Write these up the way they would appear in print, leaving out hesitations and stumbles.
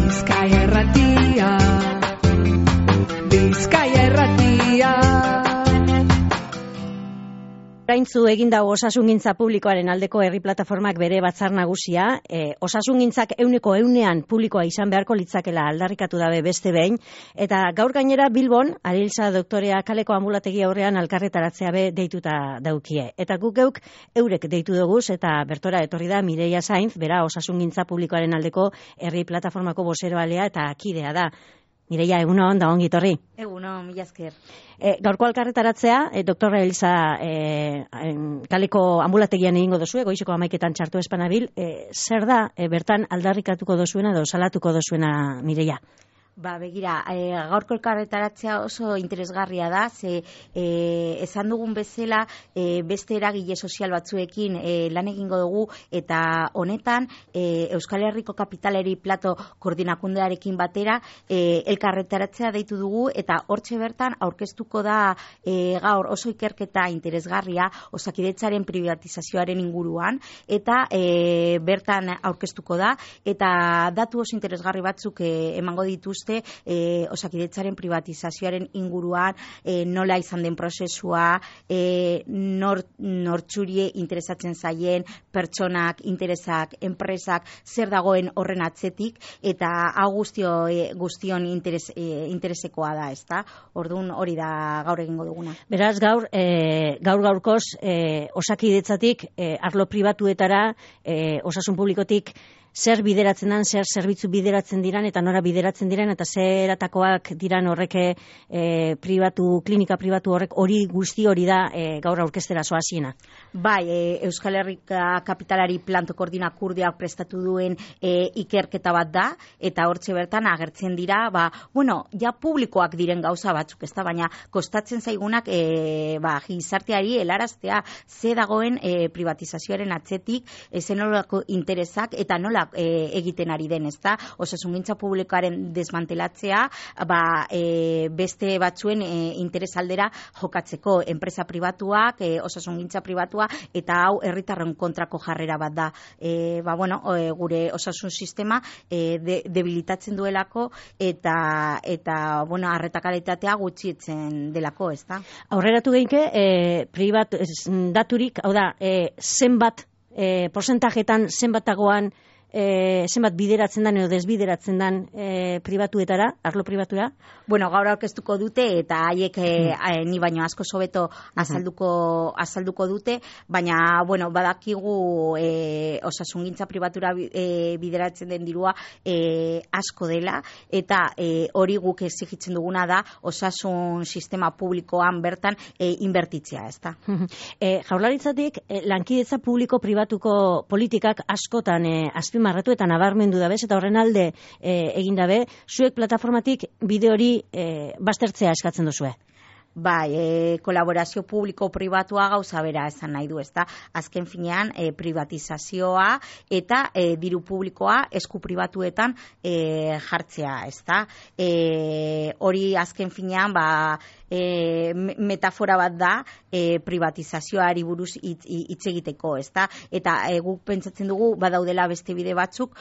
Bizkaia Irratia, Bizkaia Irratia. Oraintzu egin dago osasungintza publikoaren aldeko herri plataformak bere batzar nagusia, osasungintzak 100% publikoa izan beharko litzakela aldarrikatu dabe beste behin, eta gaur gainera Bilbon, Arilsa doktorea kaleko ambulategi aurrean alkarretaratzea be deituta daukie. Eta guk geuk eurek deitu doguz, eta bertora etorri da Mireia Sainz, bera osasungintza publikoaren aldeko herri plataformako bozeroalea eta kidea da. Mireia, egunon, da ongi torri. Egunon, mila esker. Gaurko alkarretaratzea, Dr. Elisa kaleko ambulategian egingo dozue, goizeko 11etan txartu espanabil. Zer da, bertan aldarrikatuko dozuena edo salatuko dozuena, Mireia? Begira, gaurko elkarretaratzea oso interesgarria da, ze esan dugun bezala beste eragile sozial batzuekin lan egingo dugu, eta honetan Euskal Herriko Kapitaleri Plato koordinakundearekin batera elkarretaratzea deitu dugu, eta hortxe bertan aurkeztuko da gaur oso ikerketa interesgarria Osakidetzaren privatizazioaren inguruan, eta bertan aurkeztuko da, eta datu oso interesgarri batzuk emango dituzte Osakidetzaren privatizazioaren inguruan, nola izan den prozesua, nortxurie interesatzen zaien, pertsonak, interesak, enpresak, zer dagoen horren atzetik, eta hau guztion interesekoa da, ezta? Orduan hori da gaur egingo duguna. Beraz, gaurkoz Osakidetzatik arlo pribatuetara, osasun publikotik, zer bideratzen dan, zer zerbitzu bideratzen diran, eta nora bideratzen diran, eta zer atakoak diran horrek klinika pribatu horrek, hori guzti hori da gaur aurkeztera zoaziena. Bai, Euskal Herrika Kapitalari Planto koordinakundeak prestatu duen ikerketa bat da, eta hortxe bertan agertzen dira, ja publikoak diren gauza batzuk, ezta, baina kostatzen zaigunak gizarteari helaraztea ze dagoen privatizazioaren atzetik, zen nolako interesak, eta nola egiten ari den, ezta? Osasungintza publikoaren desmantelatzea, beste batzuen interes aldera jokatzeko, enpresa pribatuak, osasungintza pribatua, eta hau herritarren kontrako jarrera bat da. Gure osasun sistema debilitatzen duelako, eta arreta kalitatea gutxietzen delako, ezta? Aurreratu geinke, daturik, hau da, zenbat porcentajetan, zenbatagoan, zenbat bideratzen dan edo desbideratzen dan pribatuetara, arlo pribatura? Gaur aurkeztuko dute, eta haiek ni baino asko sobeto azalduko dute, baina, badakigu osasungintza pribatura bideratzen den dirua asko dela, eta hori guk exigitzen duguna da osasun sistema publikoan bertan inbertitzea, ezta? Jaurlaritzatik, lankidetza publiko-pribatuko politikak askotan azpimarratu eta nabarmendu dabez, eta horren alde egin dabe, zuek plataformatik bide hori baztertzea eskatzen duzue. Kolaborazio publiko-pribatua gauza bera esan nahi du, ezta? Azken finean, privatizazioa eta diru publikoa esku pribatuetan jartzea, ezta? Hori azken finean, metafora bat da privatizazioari buruz hitz egiteko, ezta? Eta guk pentsatzen dugu badaudela beste bide batzuk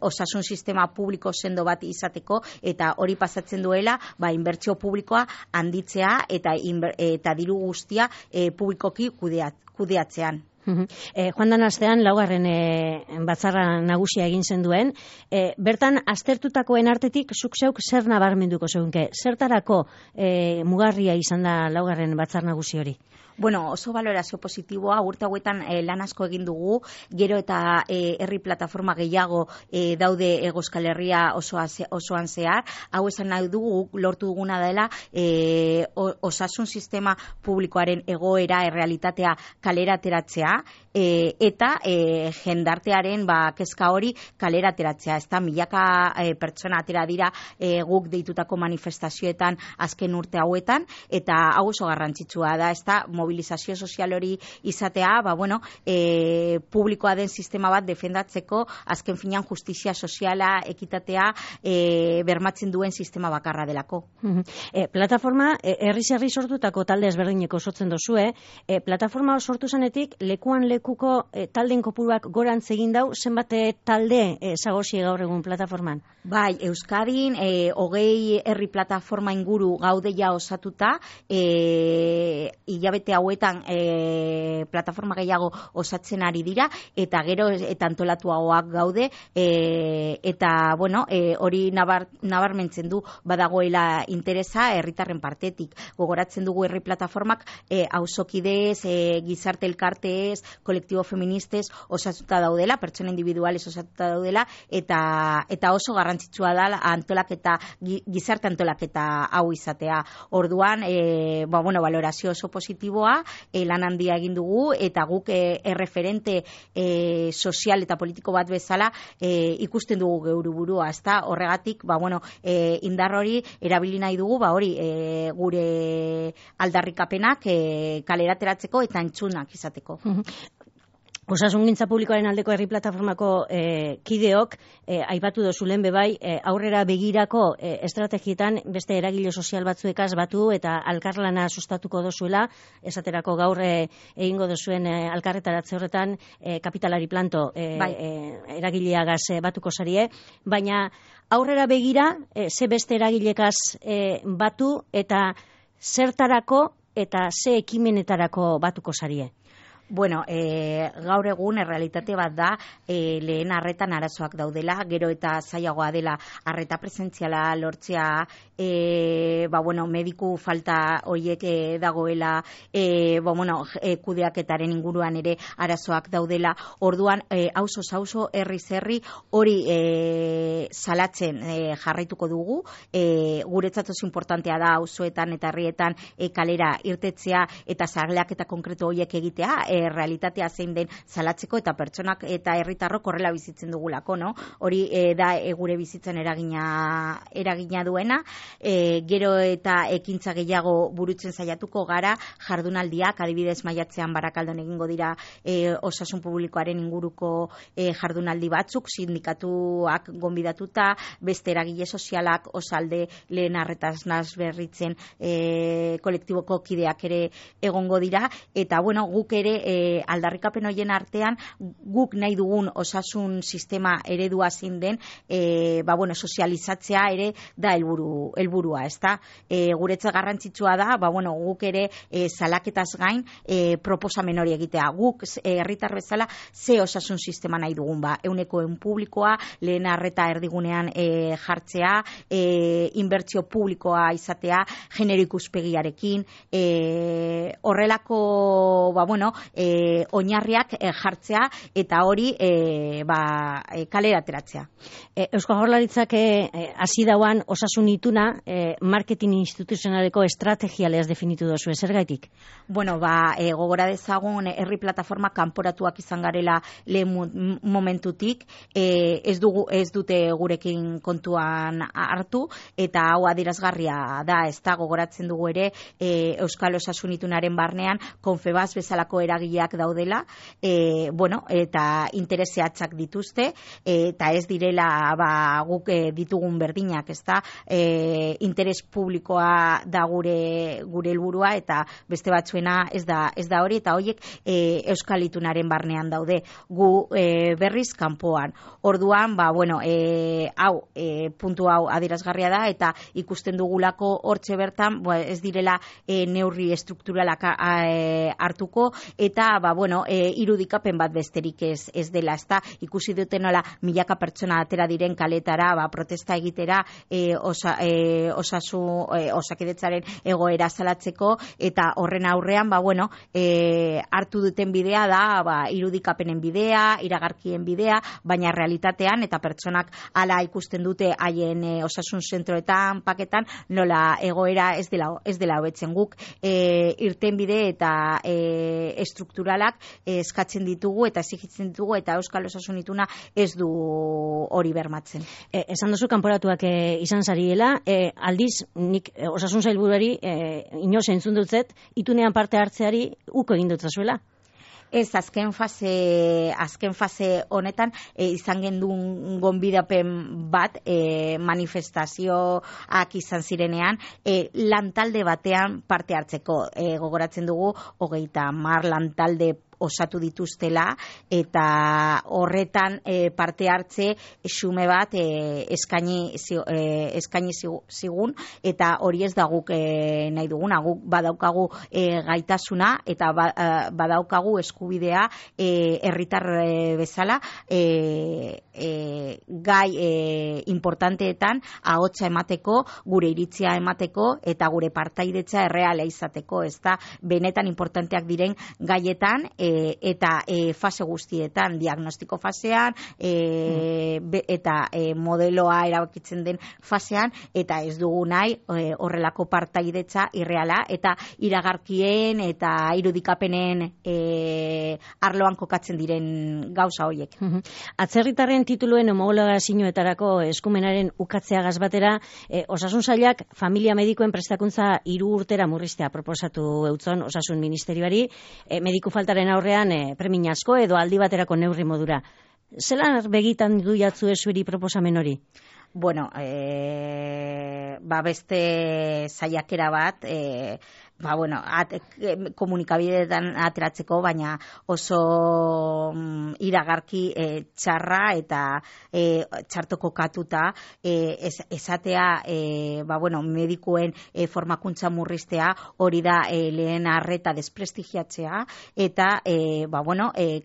osasun sistema publiko sendo bat izateko, eta hori pasatzen duela inbertsio publikoa handitzea eta diru guztia publikoki kudeatzean. Joan dan astean, laugarren batzarra nagusia egin zen duen, bertan aztertutakoen artetik zuk zeuk zer nabarmenduko zeunke? Zertarako mugarria izan da laugarren batzar nagusi hori? Oso balorazio positiboa, urte hauetan lan asko egin dugu, gero eta herri plataforma gehiago daude Hego Euskal Herria osoan zehar, hau esan nahi dugu, lortu duguna dela osasun sistema publikoaren egoera, errealitatea kalera ateratzea, eta jendartearen kezka hori kalera ateratzea, ez da, milaka pertsona atera dira guk deitutako manifestazioetan azken urte hauetan, eta hau oso garrantzitsua da, ez da, mobilizazio sozial hori izatea, publikoa den sistema bat defendatzeko azken finean justizia soziala, ekitatea bermatzen duen sistema bakarra delako. Plataforma, herri sortutako talde ezberdineko osatzen dozue, plataforma sortu zanetik, lekuan lekuko talden kopuruak gorantz egin dau, zenbat talde zagozie gaur egun plataforman? Bai, Euskadin, 20 herri plataforma inguru gaudeia osatuta, hilabete hauetan plataforma gehiago osatzen ari dira, eta gero eta antolatuagoak gaude, eta, hori nabarmentzen du badagoela interesa herritarren partetik. Gogoratzen dugu herri plataformak auzokidez, gizarte elkarteez, kolektibo feministez osatuta daudela, pertsona individuales osatuta daudela, eta oso garrantzitsua da antolaketa, gizarte antolaketa hau izatea. Orduan, valorazio oso positiboa, lan handia egin dugu, eta guk erreferente sozial eta politiko bat bezala ikusten dugu geure burua, ezta? Horregatik, indar hori erabili nahi dugu, gure aldarrikapenak kalerateratzeko eta entzunak izateko. Osasungintza publikoaren aldeko herri plataformako kideok, aipatu dozu lehen bebai, aurrera begirako estrategietan beste eragile sozial batzuekaz batu eta alkarlana sustatuko dozuela, esaterako gaur egingo dozuen alkarretaratze horretan kapitalari planto eragileagaz batuko zarie, baina aurrera begira, ze beste eragilekaz batu eta zertarako eta ze ekimenetarako batuko zarie? Gaur egun errealitate bat da lehen arretan arazoak daudela, gero eta zailagoa dela arreta presentziala lortzea, mediku falta horiek dagoela, kudeaketaren inguruan ere arazoak daudela. Orduan, auzo, herri hori salatzen jarraituko dugu. Guretzat oso importantea da auzoetan eta herrietan kalera irtetzea eta zarleak eta konkretu horiek egitea, realitatea zein den salatzeko eta pertsonak eta herritarrok horrela bizitzen dugulako, no? Hori da gure bizitzen eragina duena, gero eta ekintza gehiago burutzen saiatuko gara, jardunaldiak, adibidez maiatzean Barakaldon egingo dira osasun publikoaren inguruko jardunaldi batzuk, sindikatuak gonbidatuta, beste eragile sozialak, Osalde, lehen arretaz berritzen kolektiboko kideak ere egongo dira, eta guk ere aldarrikapen horien artean guk nahi dugun osasun sistema eredua zein den, sozializatzea ere da helburua, ezta? Guretzat garrantzitsua da, guk ere salaketaz gain proposamen hori egitea. Guk herritar bezala ze osasun sistema nahi dugun, ehuneko publikoa, lehen arreta erdigunean jartzea, inbertsio publikoa izatea, genero ikuspegiarekin, horrelako oinarriak jartzea eta hori kalera ateratzea. Eusko Jaurlaritzak hasi dauan osasun ituna marketing instituzionaleko estrategialez definitu dozu, zergaitik? Gogora dezagun herri plataforma kanporatuak izan garela lehen momentutik, ez dute gurekin kontuan hartu, eta hau adierazgarria da, ez da, gogoratzen dugu ere Euskal Osasun itunaren barnean Confebas bezalako eragileak daudela, eta intereseatzak dituzte, eta ez direla guk ditugun berdinak, ez da, interes publikoa da gure helburua, eta beste batzuena ez da hori, eta horiek Euskal itunaren barnean daude, gu berriz kanpoan. Orduan, puntu hau adierazgarria da, eta ikusten dugulako hortxe bertan, ez direla neurri estrukturalak hartuko, eta irudikapen bat besterik ez dela, ezta, ikusi dute nola milaka pertsona atera diren kaletara protesta egitera osakidetzaren egoera salatzeko, eta horren aurrean hartu duten bidea da irudikapenen bidea, iragarkien bidea, baina realitatean eta pertsonak hala ikusten dute haien osasun zentroetan, paketan, nola egoera ez dela hobetzen. Guk irtenbide eta estrukturalak eskatzen ditugu eta exigitzen ditugu, eta Euskal Osasun Ituna ez du hori bermatzen. Esan duzu kanporatuak izan zariela, aldiz nik osasun sailburuari inoz entzun dutzet, itunean parte hartzeari uko egin dutzazuela. Ez, azken fase honetan izan gendun gonbidapen bat manifestazioak izan zirenean lantalde batean parte hartzeko. Gogoratzen dugu 30 lantalde osatu dituztela, eta horretan parte hartze xume bat eskaini zigun, eta hori ez da guk nahi duguna. Guk badaukagu gaitasuna eta badaukagu eskubidea herritar bezala gai importanteetan ahotsa emateko, gure iritzia emateko eta gure partaidetza erreala izateko, ezta benetan importanteak diren gaietan eta fase guztietan, diagnostiko fasean eta modeloa erabakitzen den fasean, eta ez dugu nahi horrelako partaidetza irreala eta iragarkien eta irudikapenen arloan kokatzen diren gauza horiek. Atzerritarren tituluen homologazioetarako eskumenaren ukatzeagaz batera, Osasun Sailak familia medikuen prestakuntza 3 urtera murriztea proposatu eutzon Osasun Ministerioari, mediku faltaren aurrean premia asko edo aldi baterako neurri modura. Zelan begitan du jatzu zuri proposamen hori? Bueno, beste saiakera bat, komunikabideetan ateratzeko, baina oso iragarki txarra eta txarto kokatuta esatea medikuen formakuntza murriztea, hori da lehen arreta desprestigiatzea eta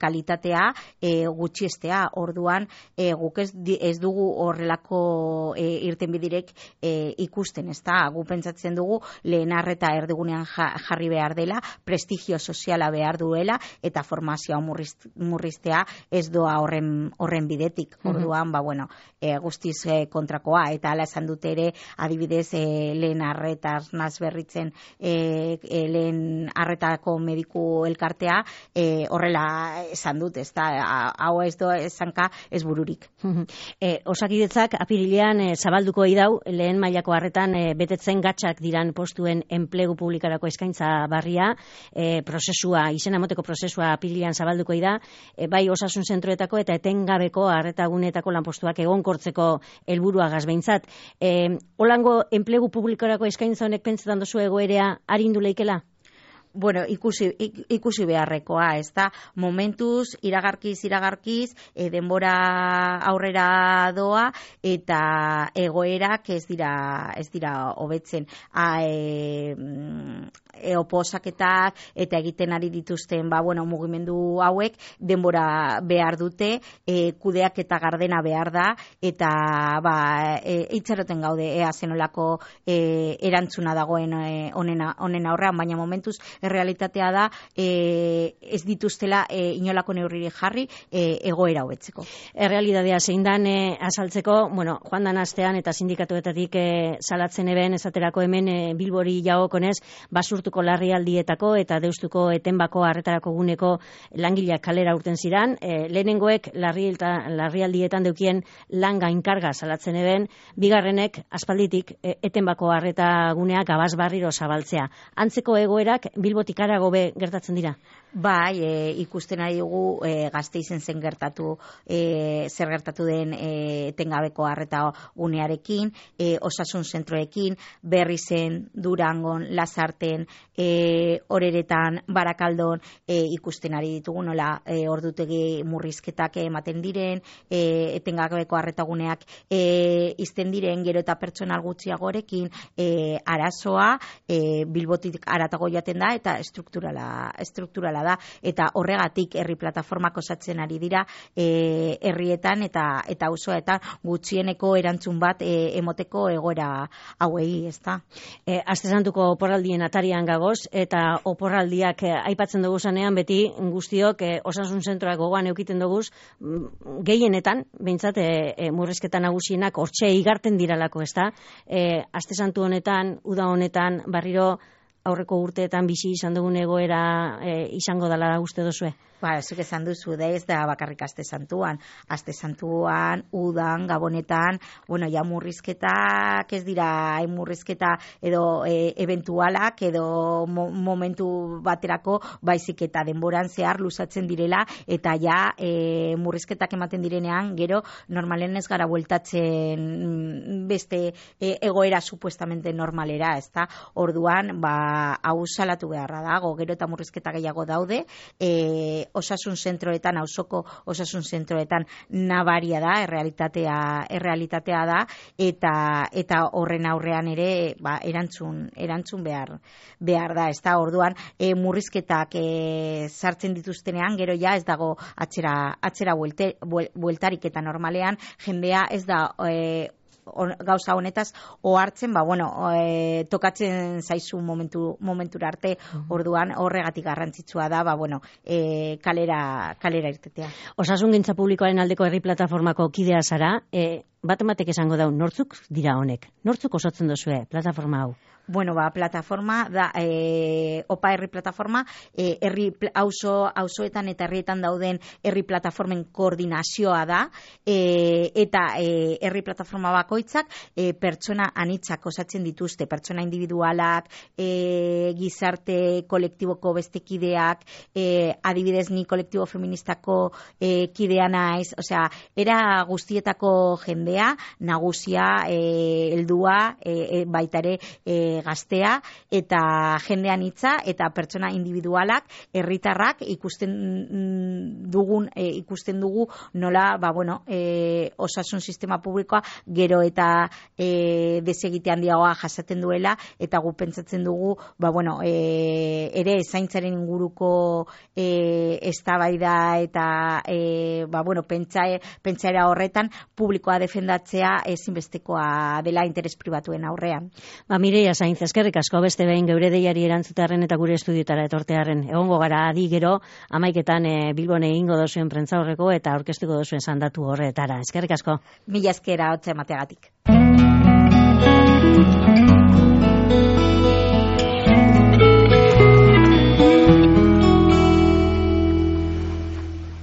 kalitatea gutxiestea. Orduan guk ez dugu horrelako irtenbiderik ikusten, ezta? Gu pentsatzen dugu lehen arreta erdigunean jarri behar dela, prestigio soziala behar duela, eta formazioa murriztea ez doa horren bidetik. Orduan, guztiz kontrakoa, eta hala esan dute ere, adibidez, lehen arretaz nazberritzen lehen arretako mediku elkartea, horrela esan dut, ez da, hau ez do esanka ez bururik. Osakidetzak apirilean zabalduko idau, lehen mailako arretan betetzen gatxak diran postuen enplegu publikarako eskaintza barria, prozesua, izena emoteko prozesua apirilean zabalduko da, bai osasun zentroetako eta etengabeko arretagunetako lanpostuak egonkortzeko helburuagaz behintzat. Holango enplegu publikorako eskaintza honek pentsetan dozu egoerea arindu leikela? Bueno, ikusi beharrekoa, ez da, momentuz, iragarkiz, denbora aurrera doa, eta egoerak ez dira hobetzen. Oposaketak eta egiten ari dituzten mugimendu hauek denbora behar dute, kudeak eta gardena behar da, eta itxaroten gaude ea zenolako erantzuna dagoen honen aurrean, baina momentuz errealitatea da ez dituztela inolako neurririk jarri egoera hobetzeko. Errealitatea zein dan azaltzeko, joan dan astean eta sindikatuetatik salatzen eben, esaterako hemen Bilbori jagokonez, basurtuko larrialdietako eta deustuko etenbako arretarako guneko langileak kalera urten ziran, lehenengoek larrialdietan deukien lan gainkarga salatzen eben, bigarrenek aspalditik etenbako arreta guneak gabaz barriro zabaltzea. Antzeko egoerak Bilbotik harago gertatzen dira? Bai, ikusten ari dugu Gasteizen zer gertatu den etengabeko arreta gunearekin, osasun zentroekin, Berrizen, Durangon, Lasarten, Oreretan, Barakaldon, ikusten ari ditugu nola ordutegi murrizketak ematen diren, etengabeko arreta guneak izten diren, gero eta pertsonal gutxiagorekin, arazoa Bilbotik haratago joaten da, eta estrukturala da, eta horregatik herri plataformak osatzen ari dira herrietan eta auzoetan gutxieneko erantzun bat emoteko egoera hauei, ezta? Aste Santuko oporraldien atarian gagoz, eta oporraldiak aipatzen dugu zanean, beti guztiok osasun zentroak gogoan eukiten dugu, gehienetan, behintzat, murrizketa nagusienak hortxe igarten diralako, ezta? Aste Santu honetan, uda honetan, barriro aurreko urteetan bizi izan dugun egoera izango dela uste duzue? Zuk esan duzu, da ez da bakarrik Aste Santuan, udan, gabonetan, ja murrizketak ez dira murrizketa edo eventualak edo momentu baterako, baizik eta denboran zehar luzatzen direla, eta ja murrizketak ematen direnean, gero normalen ez gara bueltatzen beste egoera supuestamente normalera, ez da? Orduan, hau salatu beharra dago, gero eta murrizketa gehiago daude, osasun zentroetan, auzoko osasun zentroetan nabaria da, errealitatea da, eta horren aurrean ere erantzun behar da, ez da? Orduan, murrizketak sartzen dituztenean, gero ja ez dago atzera bueltarik, eta normalean jendea ez da gauza honetaz ohartzen, tokatzen zaizu momentura arte, orduan horregatik garrantzitsua da, kalera irtetea. Osasungintza publikoaren aldeko herri plataformako kidea zara, bat-ematek esango dau, nortzuk dira honek? Nortzuk osatzen duzue plataforma hau? Plataforma da, OPA herri plataforma, auzoetan eta herrietan dauden herri plataformen koordinazioa da, eta herri plataforma bakoitzak pertsona anitzak osatzen dituzte, pertsona individualak, gizarte kolektiboko beste kideak, adibidez ni kolektibo feministako kidea naiz, era guztietako jendea, nagusia, heldua, baitare gaztea, eta jendean hitza, eta pertsona individualak, herritarrak ikusten dugu nola, osasun sistema publikoa gero eta desegite handiagoa jasaten duela, eta gu pentsatzen dugu, ere zaintzaren inguruko eztabaida eta pentsaera horretan publikoa defendatzea ezinbestekoa dela interes pribatuen aurrean. Mireia Sainz, eskerrik asko beste behin geure deiari erantzutearen eta gure estudiotara etortearen. Egongo gara adi gero 11etan Bilbon egingo dozuen prentzaurreko eta aurkeztuko dozuen sandatu horretara. Eskerrik asko. Mila eskera hotza emateagatik.